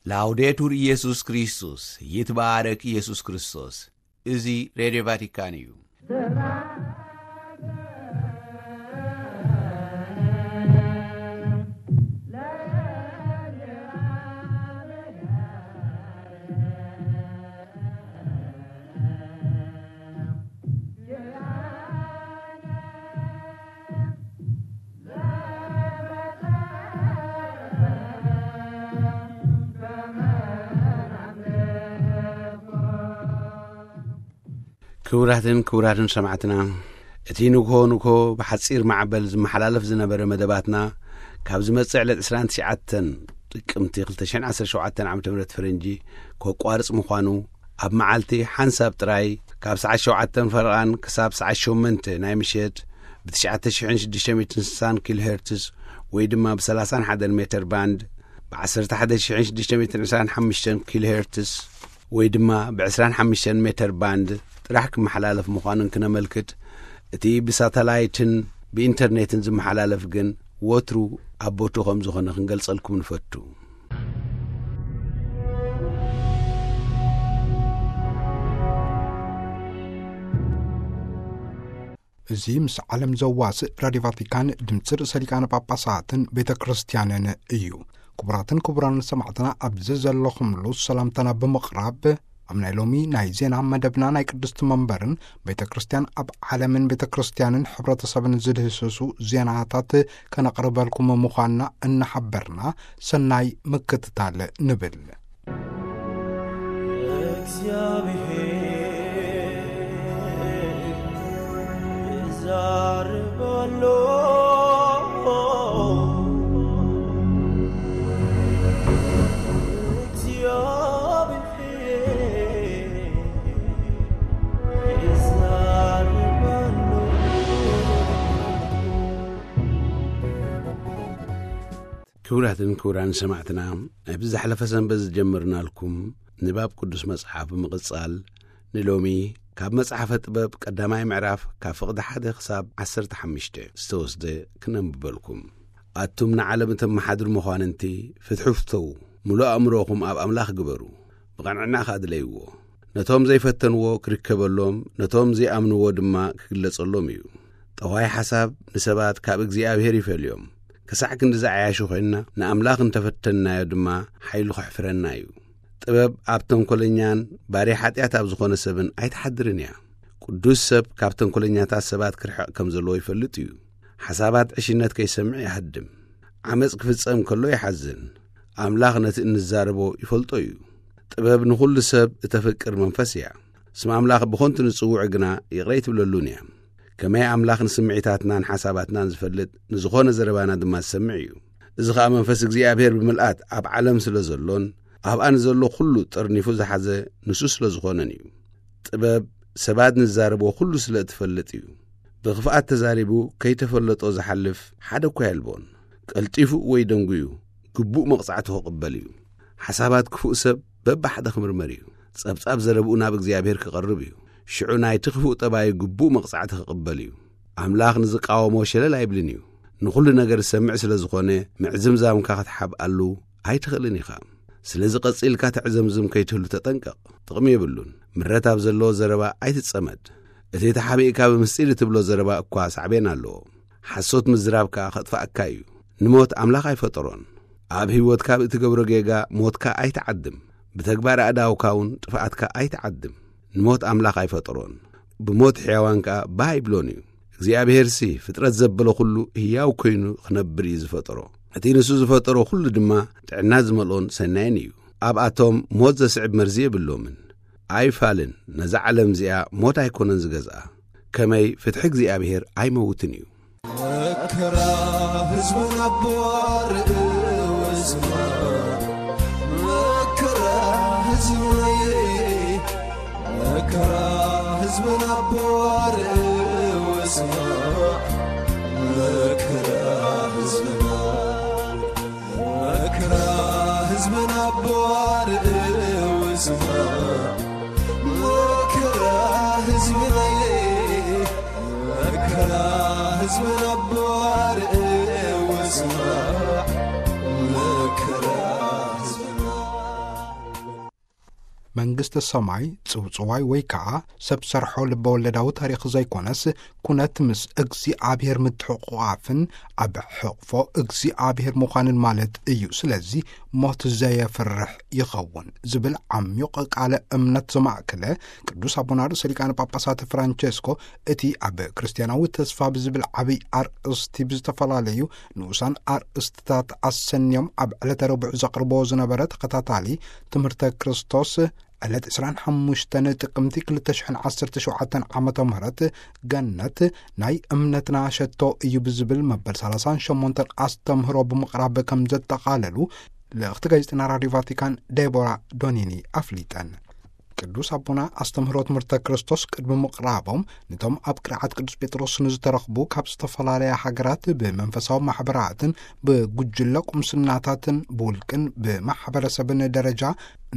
ላውዴቱር ኢየሱስ ክርስቶስ፣ ይትባረክ ኢየሱስ ክርስቶስ። እዚ ሬድዮ ቫቲካን እዩ። ክቡራትን ክቡራትን ሰማዕትና፣ እቲ ንግሆ ንግሆ ብሓጺር ማዕበል ዝመሓላለፍ ዝነበረ መደባትና፣ ካብ ዝመጽእ ዕለት ዕስራን ትሽዓተን ጥቅምቲ ክልተ ሽሕን ዓሰርተ ሸውዓተን ዓመተ ምህረት ፈረንጂ ከቋርጽ ምዃኑ፣ ኣብ መዓልቲ ሓንሳብ ጥራይ ካብ ሰዓት ሸውዓተን ፈረቓን ክሳብ ሰዓት ሸሞንተ ናይ ምሸት ብ ትሽዓተ ሽሕን ሽዱሽተ ሚእትን ስሳን ኪሎ ሄርትዝ ወይ ድማ ብ ሰላሳን ሓደን ሜተር ባንድ፣ ብ ዓሰርተ ሓደ ሽሕን ሽዱሽተ ሚእትን ዕስራን ሓሙሽተን ኪሎ ሄርትዝ ወይ ድማ ብ ዕስራን ሓሙሽተን ሜተር ባንድ ጥራሕ ክመሓላለፍ ምዃኑን ክነመልክት፣ እቲ ብሳተላይትን ብኢንተርኔትን ዝመሓላለፍ ግን ወትሩ ኣብ ቦትኡ ከም ዝኾነ ክንገልጸልኩም ንፈቱ። እዚ ምስ ዓለም ዘዋስእ ራድዮ ቫቲካን ድምፂ ርእሰ ሊቃነ ጳጳሳትን ቤተ ክርስቲያንን እዩ። ክቡራትን ክቡራን ሰማዕትና፣ ኣብዚ ዘለኹምሉ ሰላምታና ብምቕራብ፣ ኣብ ናይ ሎሚ ናይ ዜና መደብና ናይ ቅድስቲ መንበርን ቤተ ክርስቲያን ኣብ ዓለምን ቤተ ክርስቲያንን ሕብረተሰብን ዝድህስሱ ዜናታት ከነቕርበልኩም ምዃንና እናሓበርና፣ ሰናይ ምክትታል ንብል። እግዚኣብሔር ይዛረብ ኣሎ። እግዚኣብሔር ይዛረብ ኣሎ። ክቡራትን ክቡራን ሰማዕትና፣ ኣብ ዝሓለፈ ሰንበት ዝጀመርናልኩም ንባብ ቅዱስ መጽሓፍ ብምቕጻል፣ ንሎሚ ካብ መጽሓፈ ጥበብ ቀዳማይ ምዕራፍ ካብ ፍቕዲ ሓደ ክሳብ ዓሰርተ ሓሙሽተ ዝተወስደ ክነንብበልኩም። ኣቱም ንዓለም እተመሓድሩ መኳንንቲ፣ ፍትሒ ፍተዉ፣ ምሉእ ኣእምሮኹም ኣብ ኣምላኽ ግበሩ፣ ብቐንዕና ከኣ ድለይዎ። ነቶም ዘይፈተንዎ ክርከበሎም፣ ነቶም ዘይኣምንዎ ድማ ክግለጸሎም እዩ። ጠዋይ ሓሳብ ንሰባት ካብ እግዚኣብሔር ይፈልዮም። ክሳዕ ክንዲ ዝዓያሹ ኮይንና፣ ንኣምላኽ እንተፈተንናዮ ድማ ሓይሉ ከሕፍረና እዩ። ጥበብ ኣብ ተንኮለኛን ባርያ ሓጢኣት ኣብ ዝኾነ ሰብን ኣይትሓድርን እያ። ቅዱስ ሰብ ካብ ተንኮለኛታት ሰባት ክርሕቕ ከም ዘለዎ ይፈልጥ እዩ። ሓሳባት ዕሽነት ከይሰምዕ ይሃድም። ዓመፅ ክፍጸም ከሎ ይሓዝን። ኣምላኽ ነቲ እንዛረቦ ይፈልጦ እዩ። ጥበብ ንኹሉ ሰብ እተፍቅር መንፈስ እያ። ስም ኣምላኽ ብኾንቱ ንጽውዑ ግና ይቕረ ኣይትብለሉን እያ። ከመይ ኣምላኽ ንስምዒታትናን ሓሳባትናን ዝፈልጥ ንዝኾነ ዘረባና ድማ ዝሰምዕ እዩ። እዚ ኸኣ መንፈስ እግዚኣብሔር ብምልኣት ኣብ ዓለም ስለ ዘሎን ኣብኣ ንዘሎ ኹሉ ጠርኒፉ ዝሓዘ ንሱ ስለ ዝኾነን እዩ። ጥበብ ሰባት ንዛረቦ ኹሉ ስለ እትፈልጥ እዩ። ብኽፍኣት ተዛሪቡ ከይተፈለጦ ዝሓልፍ ሓደ እኳ የልቦን። ቀልጢፉ ወይ ደንጉዩ ግቡእ መቕጻዕቱ ክቕበል እዩ። ሓሳባት ክፉእ ሰብ በብሓደ ክምርመር እዩ። ጸብጻብ ዘረብኡ ናብ እግዚኣብሔር ክቐርብ እዩ። ሽዑ ናይቲ ክፉእ ጠባዩ ግቡእ መቕጻዕቲ ክቕበል እዩ። ኣምላኽ ንዝቃወሞ ሸለል ኣይብልን እዩ። ንኹሉ ነገር ዝሰምዕ ስለ ዝኾነ ምዕዝምዛምካ ክትሓብኣሉ ኣይትኽእልን ኢኻ። ስለዚ ቀጺልካ ተዕዘምዝም ከይትህሉ ተጠንቀቕ። ጥቕሚ የብሉን። ምረት ኣብ ዘለዎ ዘረባ ኣይትጸመድ። እቲ ተሓቢእካ ብምስጢር እትብሎ ዘረባ እኳ ሳዕቤን ኣለዎ። ሓሶት ምዝራብ ከኣ ከጥፍኣካ እዩ። ንሞት ኣምላኽ ኣይፈጠሮን። ኣብ ህይወትካ ብእትገብሮ ጌጋ ሞትካ ኣይትዓድም። ብተግባር ኣእዳውካ እውን ጥፍኣትካ ኣይትዓድም። ንሞት ኣምላኽ ኣይፈጠሮን። ብሞት ሕያዋን ከኣ ባህ ኣይብሎን እዩ። እግዚኣብሔርሲ ፍጥረት ዘበለ ኹሉ ህያው ኮይኑ ክነብር እዩ ዝፈጠሮ። እቲ ንሱ ዝፈጠሮ ኹሉ ድማ ጥዕና ዝመልኦን ሰናይን እዩ። ኣብኣቶም ሞት ዘስዕብ መርዚ የብሎምን። ኣይፋልን፣ ነዛ ዓለም እዚኣ ሞት ኣይኮነን ዝገዝኣ። ከመይ ፍትሒ እግዚኣብሔር ኣይመውትን እዩ። መከራ ህዝብን ኣቦ ኣርእውስማ፣ መከራ ህዝብን፣ መከራ ህዝብን ኣቦ ኣርእውስማ፣ መከራ ህዝብና፣ መከራ ህዝብን ኣቦ ኣርእውስማ፣ መከራ ህዝብን፣ መከራ ህዝብን ኣቦ ኣርእውስማ፣ መከራ ህዝብና። መንግስተ ሰማይ ጽውጽዋይ ወይ ከኣ ሰብ ሰርሖ ልበ ወለዳዊ ታሪኽ ዘይኮነስ፣ ኩነት ምስ እግዚኣብሔር ምትሕቑቓፍን ኣብ ሕቕፎ እግዚኣብሔር ምዃንን ማለት እዩ። ስለዚ ሞት ዘየፍርሕ ይኸውን ዝብል ዓሚቕ ቃለ እምነት ዘማእከለ ቅዱስ ኣቦና ርእሰ ሊቃነ ጳጳሳት ፍራንቸስኮ፣ እቲ ኣብ ክርስትያናዊ ተስፋ ብዝብል ዓብይ ኣርእስቲ ብዝተፈላለዩ ንኡሳን ኣርእስትታት ኣሰንዮም ኣብ ዕለተ ረቡዕ ዘቕርቦ ዝነበረ ተኸታታሊ ትምህርተ ክርስቶስ፣ ዕለት ዕስራን ሓሙሽተን ጥቅምቲ ክልተ ሽሕን ዓሰርተ ሸውዓተን ዓመተ ምህረት ገነት ናይ እምነትና ሸቶ እዩ ብዝብል መበል ሰላሳን ሸሞንተን ኣስተምህሮ ብምቕራብ ከም ዘጠቓለሉ ልእኽቲ ጋዜጠና ራዲዮ ቫቲካን ዴቦራ ዶኒኒ ኣፍሊጠን። ቅዱስ ኣቦና ኣስተምህሮ ትምህርተ ክርስቶስ ቅድሚ ምቕራቦም፣ ነቶም ኣብ ቅርዓት ቅዱስ ጴጥሮስ ንዝተረኽቡ ካብ ዝተፈላለያ ሃገራት ብመንፈሳዊ ማሕበራትን ብጉጅለ ቁምስናታትን ብውልቅን ብማሕበረሰብን ደረጃ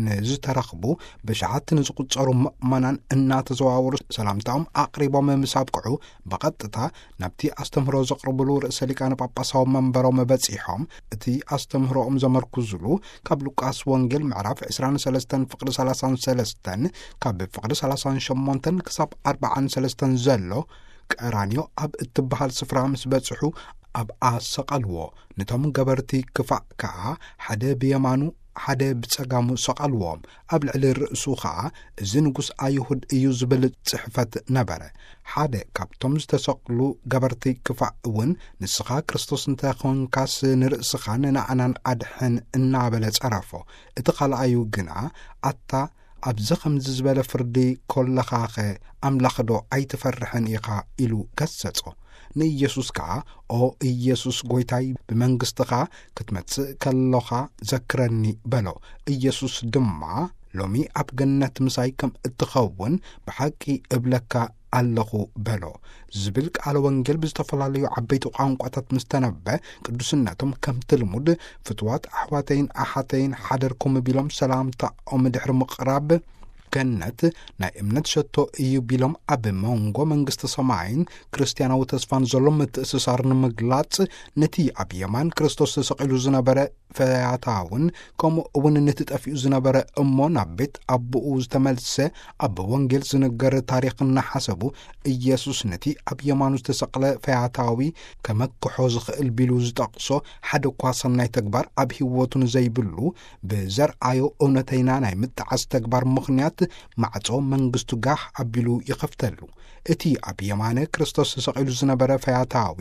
ንዝተረኽቡ ብሽዓት ንዝቁጸሩ ምእመናን እናተዘዋወሩ ሰላምታኦም ኣቕሪቦም ምስ ኣብቅዑ፣ ብቐጥታ ናብቲ ኣስተምህሮ ዘቕርብሉ ርእሰ ሊቃነ ጳጳሳዊ መንበሮም በጺሖም፣ እቲ ኣስተምህሮኦም ዘመርኩዝሉ ካብ ሉቃስ ወንጌል ምዕራፍ ዕስራን ሰለስተን ፍቕዲ ሰላሳን ሰለስተን፣ ካብ ፍቕዲ ሰላሳን ሸሞንተን ክሳብ ኣርባዓን ሰለስተን ዘሎ ቀራንዮ ኣብ እትበሃል ስፍራ ምስ በጽሑ ኣብኣ ሰቐልዎ። ነቶም ገበርቲ ክፋእ ከኣ ሓደ ብየማኑ ሓደ ብጸጋሙ ሰቐልዎም። ኣብ ልዕሊ ርእሱ ኸኣ "እዚ ንጉስ ኣይሁድ እዩ" ዝብል ጽሕፈት ነበረ። ሓደ ካብቶም ዝተሰቕሉ ገበርቲ ክፋእ እውን "ንስኻ ክርስቶስ እንተ ኾንካስ ንርእስኻን ንኣናን ኣድሕን" እናበለ ጸረፎ። እቲ ካልኣዩ ግና "ኣታ ኣብዚ ከምዚ ዝበለ ፍርዲ ኮለኻኸ ኣምላኽዶ ኣይትፈርሕን ኢኻ?" ኢሉ ገሰጾ። ንኢየሱስ ከኣ "ኦ ኢየሱስ ጐይታይ፣ ብመንግስትኻ ክትመጽእ ከሎኻ ዘክረኒ" በሎ። ኢየሱስ ድማ "ሎሚ ኣብ ገነት ምሳይ ከም እትኸውን ብሓቂ እብለካ ኣለኹ" በሎ። ዝብል ቃለ ወንጌል ብዝተፈላለዩ ዓበይቲ ቋንቋታት ምስ ተነበ፣ ቅዱስነቶም ከምቲ ልሙድ "ፍትዋት ኣሕዋተይን ኣሓተይን ሓደርኩም" ቢሎም ሰላምታኦም ድሕሪ ምቕራብ፣ ገነት ናይ እምነት ሸቶ እዩ ቢሎም ኣብ መንጎ መንግስቲ ሰማይን ክርስትያናዊ ተስፋን ዘሎ ምትእስሳር ንምግላጽ፣ ነቲ ኣብ የማን ክርስቶስ ተሰቒሉ ዝነበረ ፈያታውን ከምኡ እውን ነቲ ጠፊኡ ዝነበረ እሞ ናብ ቤት ኣቦኡ ዝተመልሰ ኣብ ወንጌል ዝንገር ታሪኽ እናሓሰቡ፣ ኢየሱስ ነቲ ኣብ የማኑ ዝተሰቕለ ፈያታዊ ከመክሖ ዝኽእል ቢሉ ዝጠቕሶ ሓደ እኳ ሰናይ ተግባር ኣብ ህይወቱ ንዘይብሉ፣ ብዘርኣዮ እውነተይና ናይ ምጥዓስ ተግባር ምኽንያት ማዕጾ መንግስቱ ጋህ ኣቢሉ ይኸፍተሉ። እቲ ኣብ የማነ ክርስቶስ ተሰቒሉ ዝነበረ ፈያታዊ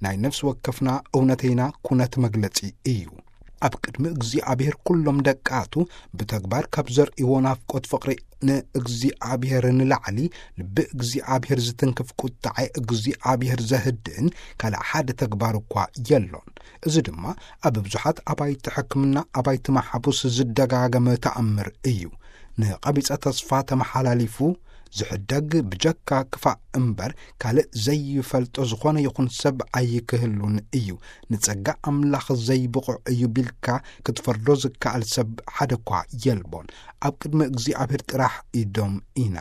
ናይ ነፍሲ ወከፍና እውነተይና ኩነት መግለጺ እዩ። ኣብ ቅድሚ እግዚኣብሔር ኩሎም ደቃቱ ብተግባር ካብ ዘርእይዎ ናፍቆት ፍቕሪ ንእግዚኣብሔር ንላዕሊ፣ ልቢ እግዚኣብሔር ዝትንክፍ፣ ቁጥዐ እግዚኣብሔር ዘህድእን ካልእ ሓደ ተግባር እኳ የሎን። እዚ ድማ ኣብ ብዙሓት ኣባይቲ ሕክምና፣ ኣባይቲ ማሕቡስ ዝደጋገመ ተኣምር እዩ። ንቐቢጸ ተስፋ ተመሓላሊፉ ዝሕደግ ብጀካ ክፋእ እምበር ካልእ ዘይፈልጦ ዝኾነ ይኹን ሰብ ኣይክህሉን እዩ። ንጸጋ ኣምላኽ ዘይብቑዕ እዩ ቢልካ ክትፈርዶ ዝከኣል ሰብ ሓደ እኳ የልቦን። ኣብ ቅድሚ እግዚኣብሔር ጥራሕ ኢዶም ኢና።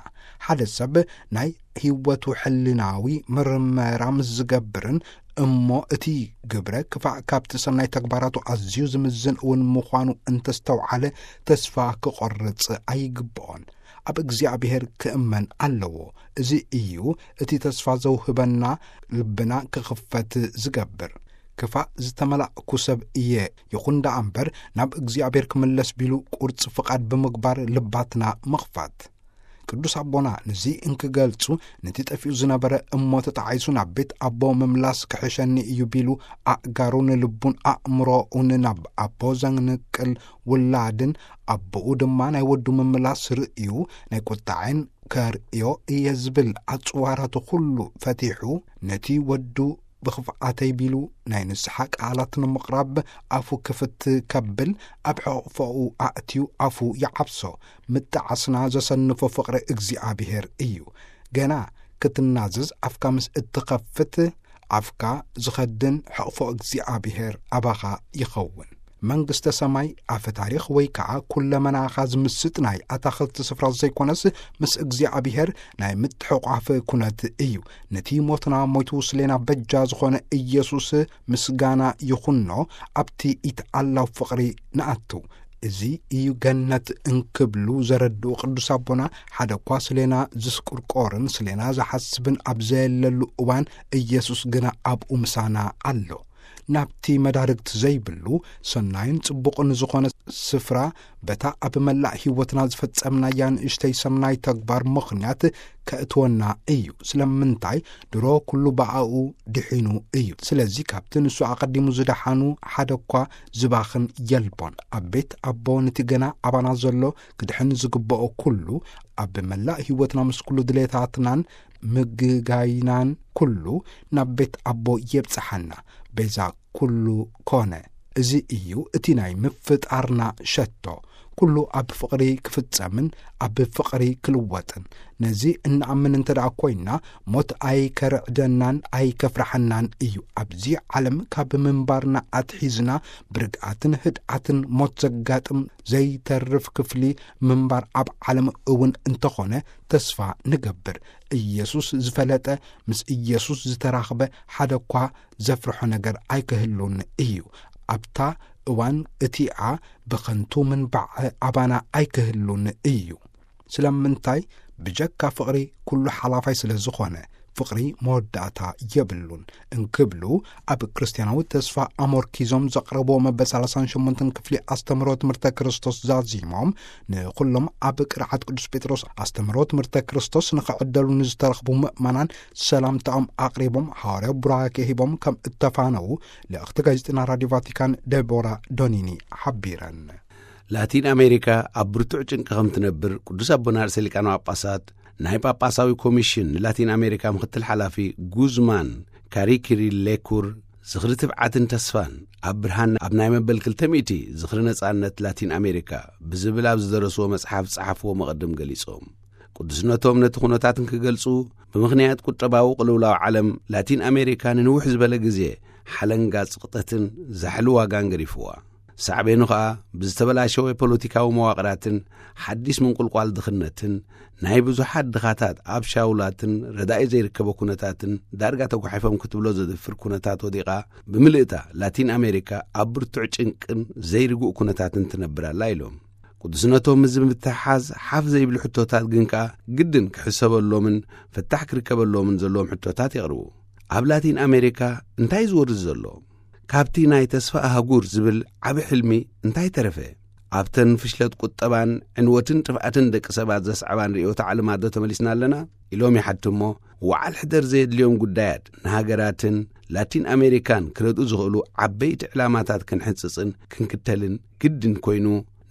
ሓደ ሰብ ናይ ህይወቱ ሕልናዊ ምርመራ ምስ ዝገብርን እሞ እቲ ግብረ ክፋእ ካብቲ ሰናይ ተግባራቱ ኣዝዩ ዝምዝን እውን ምዃኑ እንተስተውዓለ፣ ተስፋ ክቖርጽ ኣይግብኦን። ኣብ እግዚኣብሔር ክእመን ኣለዎ። እዚ እዩ እቲ ተስፋ ዘውህበና፣ ልብና ክኽፈት ዝገብር። ክፋእ ዝተመላእኩ ሰብ እየ፣ ይኹን ደኣ እምበር ናብ እግዚኣብሔር ክምለስ ቢሉ ቁርጽ ፍቓድ ብምግባር ልባትና ምኽፋት። ቅዱስ ኣቦና ነዚ እንክገልጹ፣ ነቲ ጠፊኡ ዝነበረ እሞ ተጣዒሱ ናብ ቤት ኣቦ ምምላስ ክሕሸኒ እዩ ቢሉ ኣእጋሩን ልቡን ኣእምሮኡን ናብ ኣቦ ዘንቅል ውላድን ኣቦኡ ድማ ናይ ወዱ ምምላስ ርእዩ ናይ ቁጣዕን ከርእዮ እየ ዝብል ኣጽዋራቱ ኩሉ ፈቲሑ፣ ነቲ ወዱ ብኽፍኣተይ ቢሉ ናይ ንስሓ ቃላት ንምቕራብ ኣፉ ክፍት ከብል፣ ኣብ ሕቕፎኡ ኣእትዩ ኣፉ ይዓብሶ። ምጣዓስና ዘሰንፎ ፍቕሪ እግዚኣብሔር እዩ። ገና ክትናዘዝ ኣፍካ ምስ እትኸፍት፣ ኣፍካ ዝኸድን ሕቕፎ እግዚኣብሔር ኣባኻ ይኸውን። መንግስተ ሰማይ ኣፈ ታሪኽ ወይ ከዓ ኩለመናኻ ዝምስጥ ናይ ኣታኽልቲ ስፍራ ዘይኮነስ፣ ምስ እግዚኣብሔር ናይ ምትሕቋፍ ኩነት እዩ። ነቲ ሞትና ሞይቱ ስሌና በጃ ዝኾነ ኢየሱስ ምስጋና ይኹኖ። ኣብቲ ኢትኣላው ፍቕሪ ንኣቱ። እዚ እዩ ገነት እንክብሉ ዘረድኡ ቅዱስ ኣቦና፣ ሓደ እኳ ስሌና ዝስቁርቆርን ስሌና ዝሓስብን ኣብ ዘየለሉ እዋን፣ ኢየሱስ ግና ኣብኡ ምሳና ኣሎ። ናብቲ መዳርግቲ ዘይብሉ ሰናይን ጽቡቕን ዝኾነ ስፍራ፣ በታ ኣብ መላእ ህይወትና ዝፈጸምናያ ንእሽተይ ሰናይ ተግባር ምኽንያት ከእትወና እዩ። ስለምንታይ? ድሮ ኩሉ ብኣኡ ድሒኑ እዩ። ስለዚ ካብቲ ንሱ ኣቐዲሙ ዝደሓኑ ሓደ እኳ ዝባኽን የልቦን። ኣብ ቤት ኣቦ ነቲ ገና ኣባና ዘሎ ክድሕን ዝግብኦ ኩሉ፣ ኣብ መላእ ህይወትና ምስ ኩሉ ድሌታትናን ምግጋይናን ኩሉ ናብ ቤት ኣቦ የብጽሓና። ቤዛ ኩሉ ኮነ። እዚ እዩ እቲ ናይ ምፍጣርና ሸቶ። ኩሉ ኣብ ፍቕሪ ክፍጸምን ኣብ ፍቕሪ ክልወጥን። ነዚ እንኣምን እንተ ደኣ ኮይንና፣ ሞት ኣይከርዕደናን ኣይከፍርሓናን እዩ። ኣብዚ ዓለም ካብ ምንባርና ኣትሒዝና ብርግኣትን ህድኣትን ሞት ዘጋጥም ዘይተርፍ ክፍሊ ምንባር ኣብ ዓለም እውን እንተኾነ ተስፋ ንገብር። ኢየሱስ ዝፈለጠ፣ ምስ ኢየሱስ ዝተራኽበ ሓደ እኳ ዘፍርሖ ነገር ኣይክህሉን እዩ። ኣብታ እዋን እቲኣ ብኸንቱ ምንባዕ ኣባና ኣይክህሉን እዩ። ስለምንታይ? ብጀካ ፍቕሪ ኩሉ ሓላፋይ ስለ ዝኾነ፣ ፍቕሪ መወዳእታ የብሉን እንክብሉ ኣብ ክርስትያናዊ ተስፋ ኣሞርኪዞም ዘቕረብዎ መበል ሰላሳን ሸሞንተን ክፍሊ ኣስተምህሮ ትምህርተ ክርስቶስ ዛዚሞም፣ ንኹሎም ኣብ ቅርዓት ቅዱስ ጴጥሮስ ኣስተምህሮ ትምህርተ ክርስቶስ ንኽዕደሉ ንዝተረኽቡ ምእመናን ሰላምታኦም ኣቕሪቦም፣ ሃዋርያዊ ቡራኬ ሂቦም ከም እተፋነዉ ልእኽቲ ጋዜጠና ራድዮ ቫቲካን ደቦራ ዶኒኒ ሓቢረን። ላቲን ኣሜሪካ ኣብ ብርቱዕ ጭንቂ ከም ትነብር ቅዱስ ኣቦና ርእሰ ሊቃነ ጳጳሳት ናይ ጳጳሳዊ ኮሚሽን ንላቲን ኣሜሪካ ምክትል ሓላፊ ጉዝማን ካሪኪሪ ሌኩር ዝኽሪ ትብዓትን ተስፋን ኣብ ብርሃን ኣብ ናይ መበል ክልተ ሚእቲ ዝኽሪ ነጻነት ላቲን ኣሜሪካ ብዝብል ኣብ ዝደረስዎ መጽሓፍ ዝጸሓፍዎ መቐድም ገሊጾም። ቅዱስነቶም ነቲ ኩነታት እንክገልጹ፣ ብምኽንያት ቁጠባዊ ቅልውላው ዓለም ላቲን ኣሜሪካ ንንውሕ ዝበለ ግዜ ሓለንጋ ጽቕጠትን ዛሕሊ ዋጋን ገዲፍዋ። ሳዕቤኑ ኸኣ ብዝተበላሸወ ፖለቲካዊ መዋቕራትን ሓዲስ ምንቁልቋል ድኽነትን ናይ ብዙሓት ድኻታት ኣብ ሻውላትን ረዳኢ ዘይርከቦ ኩነታትን ዳርጋ ተጓሒፎም ክትብሎ ዘድፍር ኩነታት ወዲቓ ብምልእታ ላቲን ኣሜሪካ ኣብ ብርቱዕ ጭንቅን ዘይርጉእ ኩነታትን ትነብር ኣላ ኢሎም። ቅዱስነቶም እዚ ብምትሕሓዝ ሓፍ ዘይብሉ ሕቶታት ግን ከኣ ግድን ክሕሰበሎምን ፍታሕ ክርከበሎምን ዘለዎም ሕቶታት የቕርቡ። ኣብ ላቲን ኣሜሪካ እንታይ ዝወርድ ዘሎ? ካብቲ ናይ ተስፋ ኣህጉር ዝብል ዓቢ ሕልሚ እንታይ ተረፈ? ኣብተን ፍሽለት ቁጠባን ዕንወትን ጥፍኣትን ደቂ ሰባት ዘስዕባን ርእዮተ ዓለማት ዶ ተመሊስና ኣለና? ኢሎም ይሓቱ እሞ፣ ወዓል ሕደር ዘየድልዮም ጉዳያት ንሃገራትን ላቲን ኣሜሪካን ክረድኡ ዝኽእሉ ዓበይቲ ዕላማታት ክንሕንጽጽን ክንክተልን ግድን ኮይኑ፣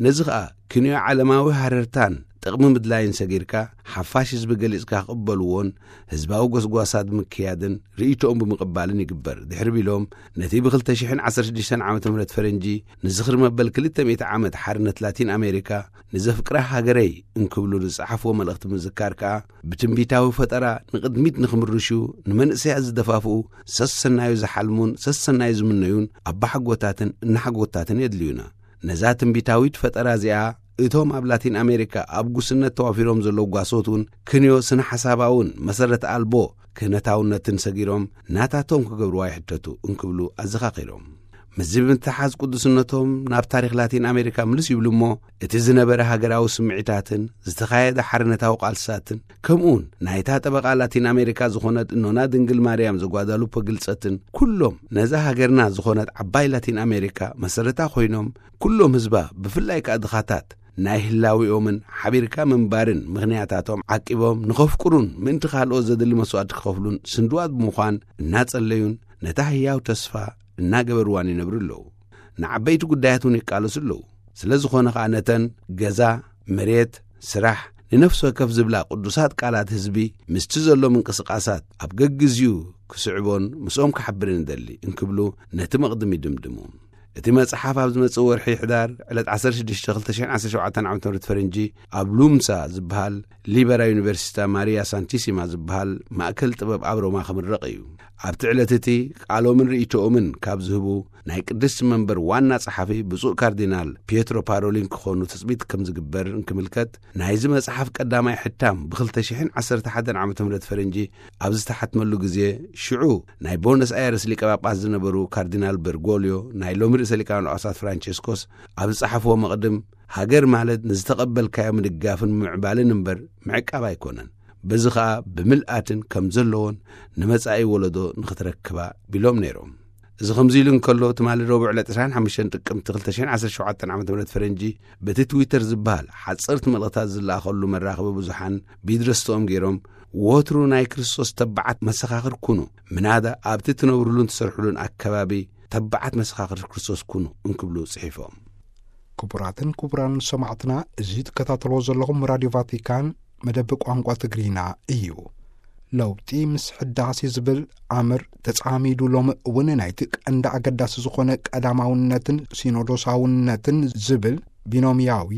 ነዚ ኸኣ ክንዮ ዓለማዊ ሃረርታን ጥቕሚ ምድላይን ሰጊርካ፣ ሓፋሽ ህዝቢ ገሊጽካ ክቕበልዎን ህዝባዊ ጎስጓሳት ብምክያድን ርእይቶኦም ብምቕባልን ይግበር። ድሕሪ ቢሎም፣ ነቲ ብ ክልተ ሽሕን ዓሰርተ ሽዱሽተን ዓመተ ምህረት ፈረንጂ ንዝኽሪ መበል ክልተ ሚእቲ ዓመት ሓርነት ላቲን ኣሜሪካ ንዘፍቅራ ሃገረይ እንክብሉ ዝጸሓፍዎ መልእኽቲ ምዝካር ከኣ፣ ብትንቢታዊ ፈጠራ ንቕድሚት ንኽምርሹ፣ ንመንእሰያት ዝደፋፍኡ፣ ሰሰናዩ ዝሓልሙን ሰሰናዩ ዝምነዩን ኣባሓጎታትን እናሓጎታትን የድልዩና። ነዛ ትንቢታዊት ፈጠራ እዚኣ፣ እቶም ኣብ ላቲን ኣሜሪካ ኣብ ጉስነት ተዋፊሮም ዘለዉ ጓሶት እውን ክንዮ ስነ ሓሳባውን መሰረት ኣልቦ ክህነታውነትን ሰጊሮም ናታቶም ክገብርዋ ይሕተቱ እንክብሉ ኣዘኻኺሮም። ምስዚ ብምትሓዝ ቅዱስነቶም ናብ ታሪኽ ላቲን ኣሜሪካ ምልስ ይብሉ እሞ፣ እቲ ዝነበረ ሃገራዊ ስምዒታትን ዝተኻየደ ሓርነታዊ ቃልስታትን፣ ከምኡውን ናይታ ጠበቓ ላቲን ኣሜሪካ ዝኾነት እኖና ድንግል ማርያም ዘጓዳሉፖ ግልጸትን፣ ኩሎም ነዛ ሃገርና ዝኾነት ዓባይ ላቲን ኣሜሪካ መሰረታ ኮይኖም፣ ኩሎም ህዝባ ብፍላይ ከኣ ድኻታት ናይ ህላዊኦምን ሓቢርካ ምንባርን ምኽንያታቶም ዓቂቦም ንኸፍቅሩን ምእንቲ ካልኦት ዘድሊ መስዋእቲ ክኸፍሉን ስንድዋት ብምዃን እናጸለዩን ነታ ህያው ተስፋ እናገበርዋን ይነብሩ ኣለዉ። ንዓበይቲ ጉዳያት እውን ይቃለሱ ኣለዉ። ስለ ዝኾነ ኸኣ ነተን ገዛ፣ መሬት፣ ስራሕ፣ ንነፍሲ ወከፍ ዝብላ ቅዱሳት ቃላት ህዝቢ ምስቲ ዘሎ ምንቅስቃሳት ኣብ ገግዜኡ ክስዕቦን ምስኦም ክሓብርን እደሊ እንክብሉ ነቲ መቕድም ይድምድሙ። እቲ መጽሓፍ ኣብ ዝመጽእ ወርሒ ሕዳር ዕለት ዓሰርተ ሽዱሽተ ክልተ ሽሕን ዓሰርተ ሸውዓተን ዓመተ ምህረት ፈረንጂ ኣብ ሉምሳ ዝበሃል ሊበራ ዩኒቨርሲታ ማሪያ ሳንቲሲማ ዝበሃል ማእከል ጥበብ ኣብ ሮማ ክምረቕ እዩ። ኣብቲ ዕለት እቲ ቃሎምን ርእይቶኦምን ካብ ዝህቡ ናይ ቅድስቲ መንበር ዋና ጸሓፊ ብፁዕ ካርዲናል ፒየትሮ ፓሮሊን ክኾኑ ትጽቢት ከም ዝግበር እንክምልከት፣ ናይዚ መጽሓፍ ቀዳማይ ሕታም ብ ክልተ ሽሕን ዓሰርተ ሓደን ዓመተ ምህረት ፈረንጂ ኣብ ዝተሓትመሉ ግዜ፣ ሽዑ ናይ ቦነስ ኣየርስ ሊቀ ጳጳስ ዝነበሩ ካርዲናል በርጎልዮ ናይ ሎሚ ሰሊቃን ጳጳሳት ፍራንቸስኮስ ኣብ ዝጸሓፍዎ መቕድም፣ ሃገር ማለት ንዝተቐበልካዮ ምድጋፍን ምምዕባልን እምበር ምዕቃብ ኣይኮነን። በዚ ኸኣ ብምልኣትን ከም ዘለዎን ንመጻኢ ወለዶ ንኽትረክባ ቢሎም ነይሮም። እዚ ከምዚ ኢሉ እንከሎ፣ ትማሊ ረቡዕ ዕለት ዕስራን ሓሙሽተን ጥቅምቲ ክልተ ሽሕን ዓሰርተ ሸውዓተን ዓመተ ምህረት ፈረንጂ፣ በቲ ትዊተር ዝበሃል ሓጸርቲ መልእኽታት ዝለኣኸሉ መራኸቢ ብዙሓን ቢድረስትኦም ገይሮም፣ "ወትሩ ናይ ክርስቶስ ተባዓት መሰኻኽር ኩኑ፣ ምናዳ ኣብቲ ትነብሩሉን ትሰርሑሉን ኣከባቢ ተባዓት መሰኻኽር ክርስቶስ ኩኑ" እንክብሉ ጽሒፎም። ክቡራትን ክቡራን ሰማዕትና፣ እዚ ትከታተልዎ ዘለኹም ራድዮ ቫቲካን መደብ ቋንቋ ትግርኛ እዩ። ለውጢ ምስ ሕዳሴ ዝብል ኣምር ተጻሚዱ ሎሚ እውን ናይቲ ቀንዲ ኣገዳሲ ዝኾነ ቀዳማውነትን ሲኖዶሳውነትን ዝብል ቢኖምያዊ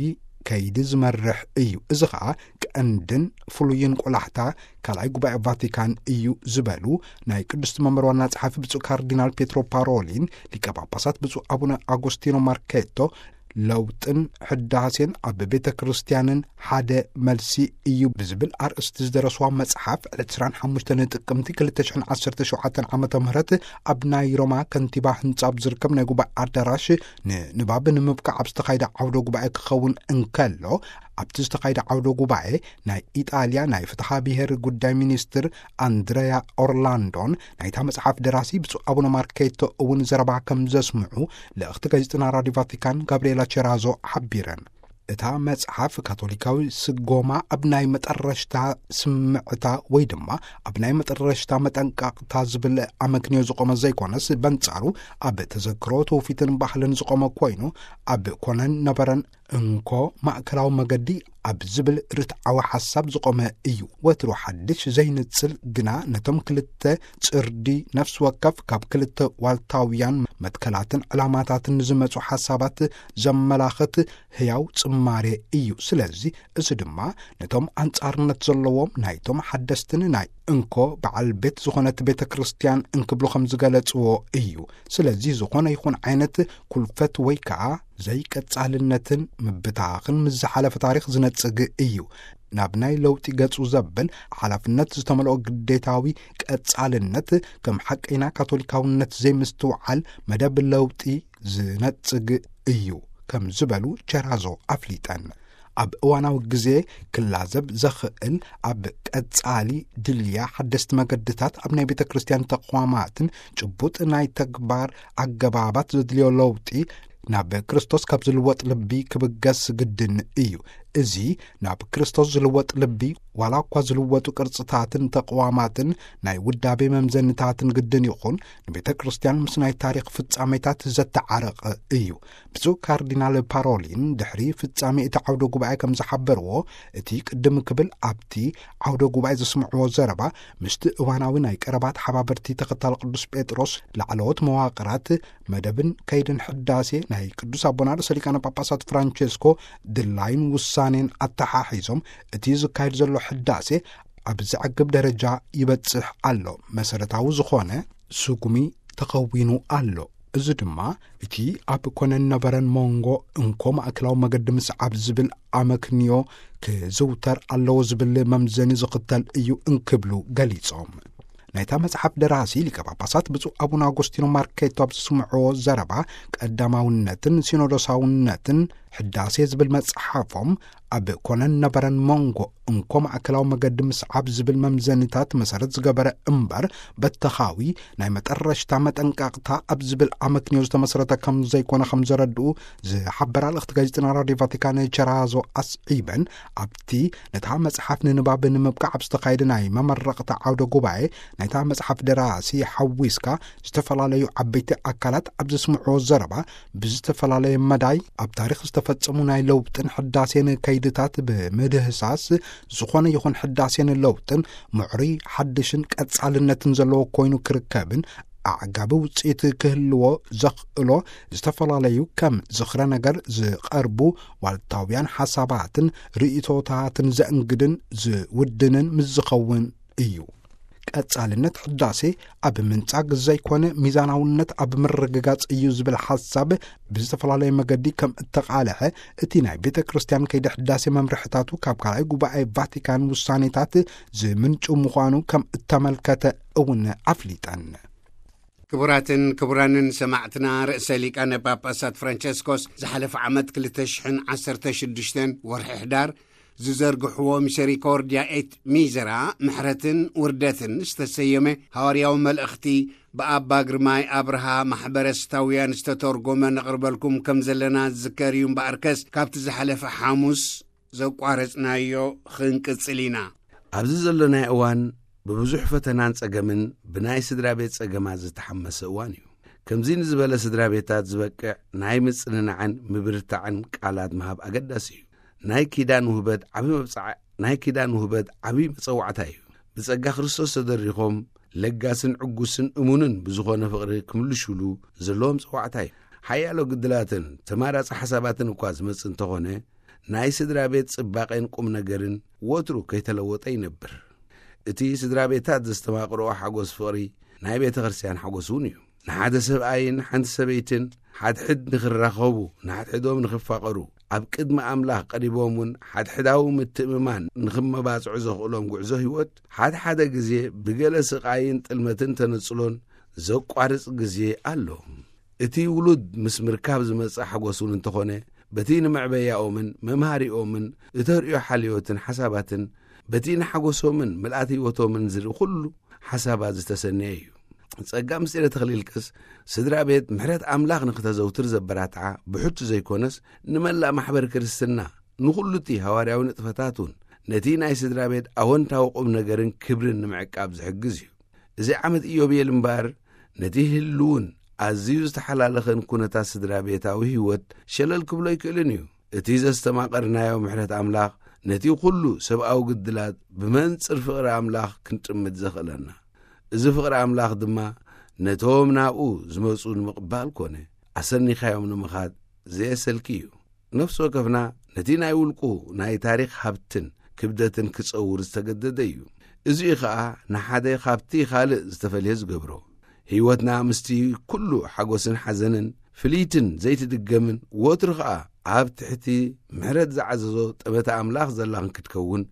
ከይዲ ዝመርሕ እዩ። እዚ ኸኣ ቀንድን ፍሉይን ቆላሕታ ካልኣይ ጉባኤ ቫቲካን እዩ ዝበሉ ናይ ቅድስቲ መንበር ዋና ጸሓፊ ብፁዕ ካርዲናል ፔትሮ ፓሮሊን፣ ሊቀ ጳጳሳት ብፁዕ ኣቡነ ኣጎስቲኖ ማርኬቶ ለውጥን ሕዳሴን ኣብ ቤተ ክርስቲያንን ሓደ መልሲ እዩ ብዝብል ኣርእስቲ ዝደረስዋ መጽሓፍ ዕለት ዕስራን ሓሙሽተን ጥቅምቲ ክልተ ሽሕን ዓሰርተ ሸውዓተን ዓመተ ምህረት ኣብ ናይ ሮማ ከንቲባ ህንጻ ኣብ ዝርከብ ናይ ጉባኤ ኣዳራሽ ንንባብ ንምብቃዕ ኣብ ዝተኻይደ ዓውደ ጉባኤ ክኸውን እንከሎ፣ ኣብቲ ዝተኻይደ ዓውደ ጉባኤ ናይ ኢጣልያ ናይ ፍትሓ ብሔር ጉዳይ ሚኒስትር ኣንድረያ ኦርላንዶን ናይታ መጽሓፍ ደራሲ ብፁዕ ኣቡነ ማርኬቶ እውን ዘረባ ከም ዘስምዑ ልእኽቲ ጋዜጠና ራዲዮ ቫቲካን ጋብርኤላ ቸራዞ ሓቢረን። እታ መጽሓፍ ካቶሊካዊ ስጎማ ኣብ ናይ መጠረሽታ ስምዕታ ወይ ድማ ኣብ ናይ መጠረሽታ መጠንቀቕታ ዝብል ኣመክንዮ ዝቖመ ዘይኮነስ፣ በንጻሩ ኣብ ተዘክሮ ትውፊትን ባህልን ዝቖመ ኮይኑ፣ ኣብ ኮነን ነበረን እንኮ ማእከላዊ መገዲ ኣብ ዝብል ርትዓዊ ሓሳብ ዝቖመ እዩ። ወትሩ ሓድሽ ዘይንጽል ግና ነቶም ክልተ ጽርዲ ነፍሲ ወከፍ ካብ ክልተ ዋልታውያን መትከላትን ዕላማታትን ዝመጹ ሓሳባት ዘመላኽት ህያው ጽማሬ እዩ። ስለዚ እዚ ድማ ነቶም ኣንጻርነት ዘለዎም ናይቶም ሓደስትን ናይ እንኮ በዓል ቤት ዝኾነት ቤተ ክርስቲያን እንክብሉ ከም ዝገለጽዎ እዩ። ስለዚ ዝኾነ ይኹን ዓይነት ኩልፈት ወይ ከኣ ዘይቀጻልነትን ምብታኽን ምስ ዝሓለፈ ታሪኽ ዝነጽግ እዩ። ናብ ናይ ለውጢ ገጹ ዘብል ሓላፍነት ዝተመልኦ ግዴታዊ ቀጻልነት ከም ሓቀይና ካቶሊካውነት ዘይምስትውዓል መደብ ለውጢ ዝነጽግ እዩ ከም ዝበሉ ቸራዞ ኣፍሊጠን። ኣብ እዋናዊ ግዜ ክላዘብ ዘኽእል ኣብ ቀጻሊ ድልያ ሓደስቲ መገድታት ኣብ ናይ ቤተ ክርስቲያን ተቋማትን ጭቡጥ ናይ ተግባር ኣገባባት ዘድልዮ ለውጢ ናብ ክርስቶስ ካብ ዝልወጥ ልቢ ክብገስ ግድን እዩ። እዚ ናብ ክርስቶስ ዝልወጥ ልቢ፣ ዋላ እኳ ዝልወጡ ቅርጽታትን ተቕዋማትን ናይ ውዳቤ መምዘንታትን ግድን ይኹን፣ ንቤተ ክርስቲያን ምስ ናይ ታሪኽ ፍጻሜታት ዘተዓረቐ እዩ። ብፁዕ ካርዲናል ፓሮሊን ድሕሪ ፍጻሜ እቲ ዓውደ ጉባኤ ከም ዝሓበርዎ፣ እቲ ቅድም ክብል ኣብቲ ዓውደ ጉባኤ ዘስምዕዎ ዘረባ፣ ምስቲ እዋናዊ ናይ ቀረባ ተሓባበርቲ ተኸታሊ ቅዱስ ጴጥሮስ ላዕለዎት መዋቕራት መደብን ከይድን ሕዳሴ ናይ ቅዱስ ኣቦና ርእሰ ሊቃነ ጳጳሳት ፍራንቸስኮ ድላይን ውሳኔን ኣተሓሒዞም፣ እቲ ዝካየድ ዘሎ ሕዳሴ ኣብ ዘዕግብ ደረጃ ይበጽሕ ኣሎ፣ መሰረታዊ ዝኾነ ስጉሚ ተኸዊኑ ኣሎ። እዚ ድማ እቲ ኣብ ኮነን ነበረን መንጎ እንኮ ማእከላዊ መገዲ ምስዓብ ዝብል ኣመክንዮ ክዝውተር ኣለዎ ዝብል መምዘኒ ዝኽተል እዩ እንክብሉ ገሊጾም። ናይታ መጽሓፍ ደራሲ ሊቀ ጳጳሳት ብፁዕ ኣቡነ ኣጎስቲኖ ማርኬቶ ኣብ ዘስምዕዎ ዘረባ፣ ቀዳማውነትን ሲኖዶሳውነትን ሕዳሴ ዝብል መጽሓፎም ኣብ ኮነን ነበረን መንጎ እንኮ ማእከላዊ መገዲ ምስዓብ ዝብል መምዘኒታት መሰረት ዝገበረ እምበር፣ በተኻዊ ናይ መጠረሽታ መጠንቀቕታ ኣብ ዝብል ኣመክንዮ ዝተመስረተ ከም ዘይኮነ ከም ዘረድኡ ዝሓበራ ልእኽቲ ጋዜጠና ራድዮ ቫቲካን ቸራዞ ኣስዒበን፣ ኣብቲ ነታ መጽሓፍ ንንባብ ንምብቃዕ ኣብ ዝተኻየደ ናይ መመረቕታ ዓውደ ጉባኤ ናይታ መጽሓፍ ደራሲ ሓዊስካ ዝተፈላለዩ ዓበይቲ ኣካላት ኣብ ዘስምዕዎ ዘረባ፣ ብዝተፈላለየ መዳይ ኣብ ታሪኽ ዝተፈጸሙ ናይ ለውጥን ሕዳሴን ከይድታት ብምድህሳስ፣ ዝኾነ ይኹን ሕዳሴን ለውጥን ምዕሩይ ሓድሽን ቀጻልነትን ዘለዎ ኮይኑ ክርከብን ኣዕጋቢ ውጽኢት ክህልዎ ዘኽእሎ ዝተፈላለዩ ከም ዝኽረ ነገር ዝቐርቡ ዋልታውያን ሓሳባትን ርእይቶታትን ዘእንግድን ዝውድንን ምስ ዝኸውን እዩ። ቀጻልነት ሕዳሴ ኣብ ምንጻግ ዘይኮነ፣ ሚዛናውነት ኣብ ምርግጋጽ እዩ ዝብል ሓሳብ ብዝተፈላለየ መገዲ ከም እተቓልሐ፣ እቲ ናይ ቤተ ክርስቲያን ከይዲ ሕዳሴ መምርሕታቱ ካብ ካልኣይ ጉባኤ ቫቲካን ውሳኔታት ዝምንጩ ምዃኑ ከም እተመልከተ እውን ኣፍሊጠን። ክቡራትን ክቡራንን ሰማዕትና፣ ርእሰ ሊቃነ ጳጳሳት ፍራንቸስኮስ ዝሓለፈ ዓመት ክልተ ሽሕን ዓሰርተ ሽዱሽተን ወርሒ ሕዳር ዝዘርግሕዎ ሚሰሪኮርድያ ኤት ሚዘራ፣ ምሕረትን ውርደትን ዝተሰየመ ሃዋርያዊ መልእኽቲ ብኣባ ግርማይ ኣብርሃ ማሕበረ ስታውያን ዝተተርጎመ ነቕርበልኩም ከም ዘለና ዝዝከር እዩ። እምበኣርከስ ካብቲ ዝሓለፈ ሓሙስ ዘቋረጽናዮ ክንቅጽል ኢና። ኣብዚ ዘለናዮ እዋን ብብዙሕ ፈተናን ጸገምን ብናይ ስድራ ቤት ጸገማት ዝተሓመሰ እዋን እዩ። ከምዚ ንዝበለ ስድራ ቤታት ዝበቅዕ ናይ ምጽንናዕን ምብርታዕን ቃላት ምሃብ ኣገዳሲ እዩ። ናይ ኪዳን ውህበት ዓቢ መብጽዓ-፣ ናይ ኪዳን ውህበት ዓቢ መጸዋዕታ እዩ። ብጸጋ ክርስቶስ ተደሪኾም ለጋስን ዕጉስን እሙንን ብዝኾነ ፍቕሪ ክምልሹሉ ዘለዎም ጸዋዕታ እዩ። ሓያሎ ግድላትን ተማራጺ ሓሳባትን እኳ ዝመጽእ እንተኾነ፣ ናይ ስድራ ቤት ጽባቐን ቁም ነገርን ወትሩ ከይተለወጠ ይነብር። እቲ ስድራ ቤታት ዘስተማቕርኦ ሓጎስ ፍቕሪ ናይ ቤተ ክርስቲያን ሓጎስ እውን እዩ። ንሓደ ሰብኣይን ሓንቲ ሰበይትን ሓድሕድ ንኽራኸቡ፣ ንሓድሕዶም ንኽፋቐሩ፣ ኣብ ቅድሚ ኣምላኽ ቀሪቦም እውን ሓድሕዳዊ ምትእምማን ንኽመባጽዑ ዘኽእሎም ጉዕዞ ህይወት፣ ሓደ ሓደ ግዜ ብገለ ስቓይን ጥልመትን ተነጽሎን ዘቋርጽ ግዜ ኣሎ። እቲ ውሉድ ምስ ምርካብ ዝመጽእ ሓጎስ እውን እንተኾነ፣ በቲ ንመዕበያኦምን መምሃሪኦምን እተርእዮ ሓልዮትን ሓሳባትን፣ በቲ ንሓጎሶምን ምልኣት ህይወቶምን ዝርኢ ኩሉ ሓሳባት ዝተሰነየ እዩ። ጸጋ ምስጢረ ተኽሊልቅስ፣ ስድራ ቤት ምሕረት ኣምላኽ ንኽተዘውትር ዘበራትዓ ብሕቱ ዘይኮነስ፣ ንመላእ ማሕበር ክርስትና፣ ንኹሉ እቲ ሃዋርያዊ ንጥፈታት እውን፣ ነቲ ናይ ስድራ ቤት ኣወንታዊ ቁም ነገርን ክብርን ንምዕቃብ ዝሕግዝ እዩ። እዚ ዓመት ኢዮቤል እምበኣር፣ ነቲ ህልውን ኣዝዩ ዝተሓላለኸን ኩነታት ስድራ ቤታዊ ህይወት ሸለል ክብሎ ኣይክእልን እዩ። እቲ ዘስተማቐርናዮ ምሕረት ኣምላኽ፣ ነቲ ኩሉ ሰብኣዊ ግድላት ብመንጽር ፍቕሪ ኣምላኽ ክንጥምት ዘኽእለና። እዚ ፍቕሪ ኣምላኽ ድማ፣ ነቶም ናብኡ ዝመጹ ንምቕባል ኮነ፣ ኣሰኒኻዮም ንምኻድ ዘየሰልኪ እዩ። ነፍሲ ወከፍና ነቲ ናይ ውልቁ ናይ ታሪኽ ሃብትን ክብደትን ክጸውር ዝተገደደ እዩ። እዚኡ ኸኣ ንሓደ ካብቲ ካልእ ዝተፈልየ ዝገብሮ። ህይወትና ምስቲ ኩሉ ሓጎስን ሓዘንን፣ ፍልይትን ዘይትድገምን፣ ወትሩ ኸኣ ኣብ ትሕቲ ምሕረት ዝዓዘዞ ጠመተ ኣምላኽ ዘላን ክትከውን፣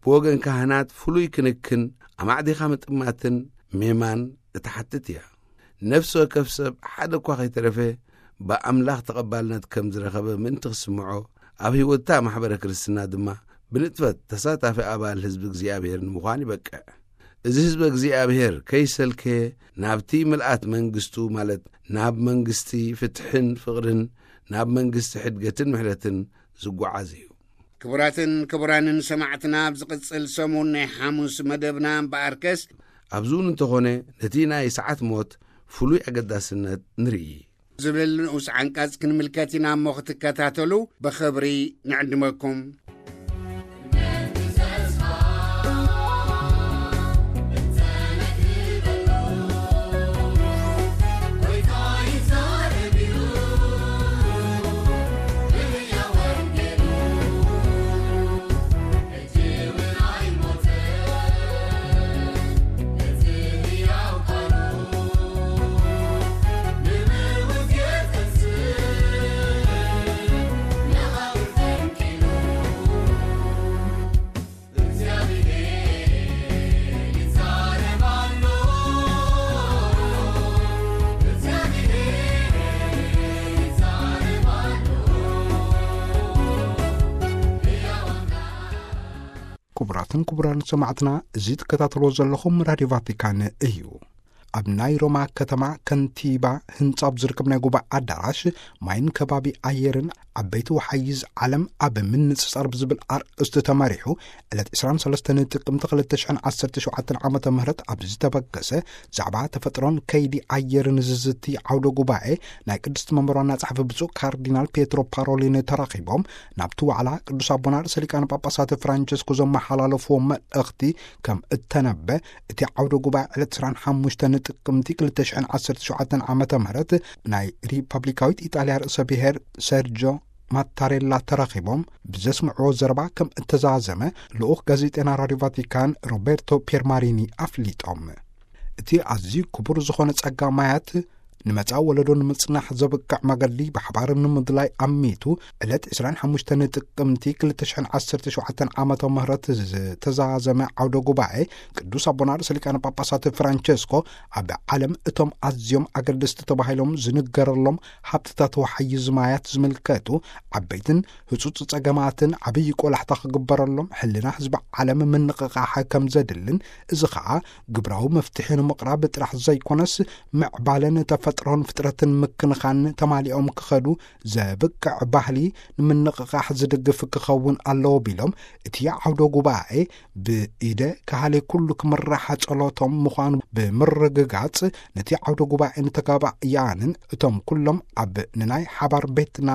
ብወገን ካህናት ፍሉይ ክንክን፣ ኣማዕዲኻ ምጥማትን ሜማን እትሓትት እያ። ነፍሲ ወከፍ ሰብ ሓደ እኳ ኸይተረፈ ብኣምላኽ ተቐባልነት ከም ዝረኸበ ምእንቲ ክስምዖ፣ ኣብ ህይወትታ ማሕበረ ክርስትና ድማ ብንጥፈት ተሳታፊ ኣባል ህዝቢ እግዚኣብሔር ንምዃን ይበቅዕ። እዚ ህዝቢ እግዚኣብሔር ከይሰልከየ ናብቲ ምልኣት መንግስቱ፣ ማለት ናብ መንግስቲ ፍትሕን ፍቕርን፣ ናብ መንግስቲ ሕድገትን ምሕረትን ዝጓዓዝ እዩ። ክቡራትን ክቡራንን ሰማዕትና፣ ኣብ ዝቕጽል ሰሙን ናይ ሓሙስ መደብና እምበኣርከስ፣ ኣብዚ እውን እንተኾነ ነቲ ናይ ሰዓት ሞት ፍሉይ ኣገዳስነት ንርኢ። ዝብል ንኡስ ዓንቀጽ ክንምልከት ኢና እሞ ክትከታተሉ ብኽብሪ ንዕድመኩም። ክቡራትን ክቡራን ሰማዕትና፣ እዚ ትከታተልዎ ዘለኹም ራድዮ ቫቲካን እዩ። ኣብ ናይ ሮማ ከተማ ከንቲባ ህንጻ ኣብ ዝርከብ ናይ ጉባኤ ኣዳራሽ፣ ማይን ከባቢ ኣየርን ዓበይቲ ወሓይዝ ዓለም ኣብ ምንጽጻር ብዝብል ኣርእስቲ ተመሪሑ፣ ዕለት ዕስራን ሰለስተን ጥቅምቲ ክልተ ሽሕን ዓሰርተ ሸውዓተን ዓመተ ምህረት ኣብ ዝተበገሰ ዛዕባ ተፈጥሮን ከይዲ ኣየርን ዝዝቲ ዓውደ ጉባኤ፣ ናይ ቅድስቲ መንበር ዋና ጸሓፊ ብፁዕ ካርዲናል ፔትሮ ፓሮሊን ተራኺቦም፣ ናብቲ ዋዕላ ቅዱስ ኣቦና ርእሰ ሊቃነ ጳጳሳት ፍራንቸስኮ ዘመሓላለፍዎ መልእኽቲ ከም እተነበ፣ እቲ ዓውደ ጉባኤ ዕለት ዕስራን ሓሙሽተን ጥቅምቲ ክልተ ሽሕን ዓሰርተ ሸውዓተን ዓመተ ምህረት ናይ ሪፐብሊካዊት ኢጣልያ ርእሰ ብሔር ሰርጆ ማታሬላ ተራኺቦም ብዘስምዕዎ ዘረባ ከም እተዛዘመ፣ ልኡኽ ጋዜጠና ራድዮ ቫቲካን ሮቤርቶ ፒየርማሪኒ ኣፍሊጦም። እቲ ኣዝዩ ክቡር ዝኾነ ጸጋ ማያት ንመጻኢ ወለዶ ንምጽናሕ ዘብቅዕ መገዲ ብሓባር ንምድላይ ኣሚቱ ዕለት ዕስራን ሓሙሽተን ጥቅምቲ ክልተ ሽሕን ዓሰርተ ሸውዓተን ዓመተ ምህረት ዝተዛዘመ ዓውደ ጉባኤ ቅዱስ ኣቦና ርእሰ ሊቃነ ጳጳሳት ፍራንቸስኮ ኣብ ዓለም እቶም ኣዝዮም ኣገደስቲ ተባሂሎም ዝንገረሎም ሃብትታት ወሓይዝ ማያት ዝምልከቱ ዓበይትን ህጹጽ ጸገማትን ዓብዪ ቆላሕታ ክግበረሎም ሕልና ህዝቢ ዓለም ምንቕቓሕ ከም ዘድልን፣ እዚ ኸኣ ግብራዊ መፍትሒ ንምቕራብ ጥራሕ ዘይኮነስ ምዕባለን ተፈጥሮን ፍጥረትን ምክንኻን ተማሊኦም ክኸዱ ዘብቅዕ ባህሊ ንምንቕቓሕ ዝድግፍ ክኸውን ኣለዎ ቢሎም፣ እቲ ዓውደ ጉባኤ ብኢደ ካህሌ ኩሉ ክምራሕ ጸሎቶም ምዃኑ ብምርግጋጽ፣ ነቲ ዓውደ ጉባኤ ንተጋባእያንን እቶም ኩሎም ኣብ ንናይ ሓባር ቤትና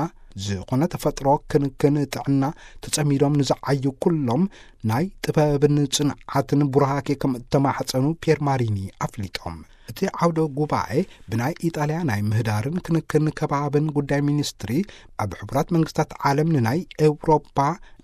ዝኾነ ተፈጥሮ ክንክን ጥዕና ተጸሚዶም ንዝዓዩ ኩሎም ናይ ጥበብን ጽንዓትን ቡራኬ ከም እተማሕጸኑ ፒየር ማሪኒ ኣፍሊጦም። እቲ ዓውደ ጉባኤ ብናይ ኢጣልያ ናይ ምህዳርን ክንክን ከባብን ጉዳይ ሚኒስትሪ፣ ኣብ ሕቡራት መንግስታት ዓለም ንናይ ኤውሮፓ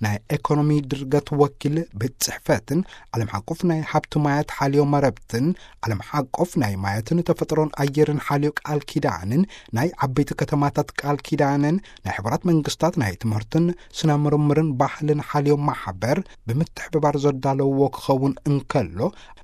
ናይ ኤኮኖሚ ድርገት ወኪል ቤት ጽሕፈትን ዓለም ሓቆፍ ናይ ሃብቲ ማያት ሓልዮ መረብትን ዓለም ሓቆፍ ናይ ማያትን ተፈጥሮን ኣየርን ሓልዮ ቃል ኪዳንን ናይ ዓበይቲ ከተማታት ቃል ኪዳንን ናይ ሕቡራት መንግስታት ናይ ትምህርትን ስነ ምርምርን ባህልን ሓልዮ ማሕበር ብምትሕብባር ዘዳለውዎ ክኸውን እንከሎ፣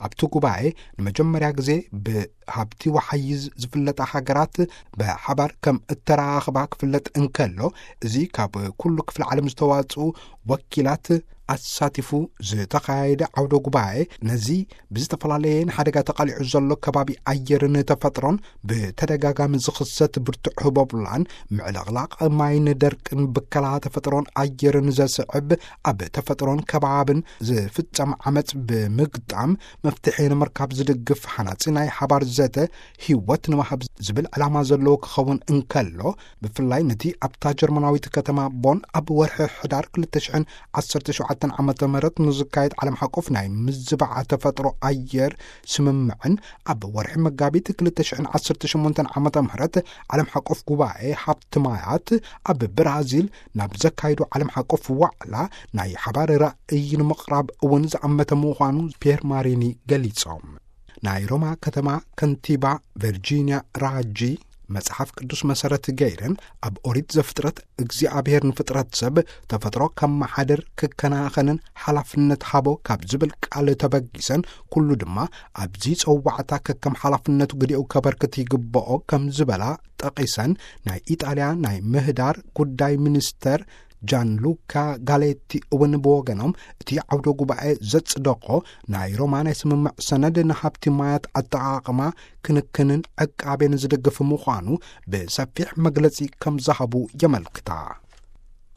ኣብቲ ጉባኤ ንመጀመርያ ግዜ ብሃብቲ ወሓይዝ ዝፍለጣ ሃገራት ብሓባር ከም እተራኸባ ክፍለጥ እንከሎ፣ እዚ ካብ ኩሉ ክፍለ ዓለም ዝተዋጽኡ ወኪላት ኣሳቲፉ ዝተኻየደ ዓውደ ጉባኤ፣ ነዚ ብዝተፈላለየ ንሓደጋ ተቓሊዑ ዘሎ ከባቢ ኣየርን ተፈጥሮን ብተደጋጋሚ ዝኽሰት ብርቱዕ ህቦብላን ምዕልቕላቕ ማይን ደርቅን ብከላ ተፈጥሮን ኣየርን ዘስዕብ ኣብ ተፈጥሮን ከባብን ዝፍጸም ዓመጽ ብምግጣም መፍትሒ ንምርካብ ዝድግፍ ሃናጺ ናይ ሓባር ዘተ ህይወት ንምሃብ ዝብል ዕላማ ዘለዎ ክኸውን እንከሎ፣ ብፍላይ ነቲ ኣብታ ጀርመናዊት ከተማ ቦን ኣብ ወርሒ ሕዳር ክልተ ሽሕን ዓሰርተ ሸውዓተን ዓመተ ምህረት ንዝካየድ ዓለም ሓቆፍ ናይ ምዝባዕ ተፈጥሮ ኣየር ስምምዕን ኣብ ወርሒ መጋቢት ክልተ ሽሕን ዓሰርተ ሸሞንተን ዓመተ ምህረት ዓለም ሓቆፍ ጉባኤ ሃብቲ ማያት ኣብ ብራዚል ናብ ዘካይዱ ዓለም ሓቆፍ ዋዕላ ናይ ሓባር ራእይ ንምቕራብ እውን ዝኣመተ ምዃኑ ፒየር ማሪኒ ገሊጾም። ናይ ሮማ ከተማ ከንቲባ ቨርጂኒያ ራጂ፣ መጽሓፍ ቅዱስ መሰረት ገይረን ኣብ ኦሪት ዘፍጥረት እግዚኣብሔር ንፍጥረት ሰብ ተፈጥሮ ከመሓድር ክከናኸንን ሓላፍነት ሃቦ ካብ ዝብል ቃል ተበጊሰን፣ ኩሉ ድማ ኣብዚ ጸዋዕታ ከከም ሓላፍነቱ ግዲኡ ከበርክት ይግብኦ ከም ዝበላ ጠቒሰን፣ ናይ ኢጣልያ ናይ ምህዳር ጉዳይ ሚኒስተር ጃንሉካ ጋሌቲ እውን ብወገኖም፣ እቲ ዓውደ ጉባኤ ዘጽደቖ ናይ ሮማ ናይ ስምምዕ ሰነድ ንሃብቲ ማያት ኣጠቓቕማ ክንክንን ዕቃቤን ዝድግፍ ምዃኑ ብሰፊሕ መግለጺ ከም ዝሃቡ የመልክታ።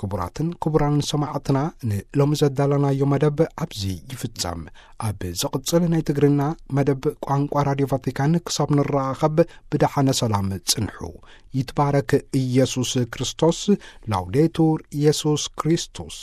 ክቡራትን ክቡራን ሰማዕትና፣ ንሎሚ ዘዳለናዮ መደብ ኣብዚ ይፍጸም። ኣብ ዝቕጽል ናይ ትግርና መደብ ቋንቋ ራድዮ ቫቲካን ክሳብ ንራኸብ ብደሓነ ሰላም ጽንሑ። ይትባረክ ኢየሱስ ክርስቶስ። ላውዴቱር ኢየሱስ ክርስቶስ።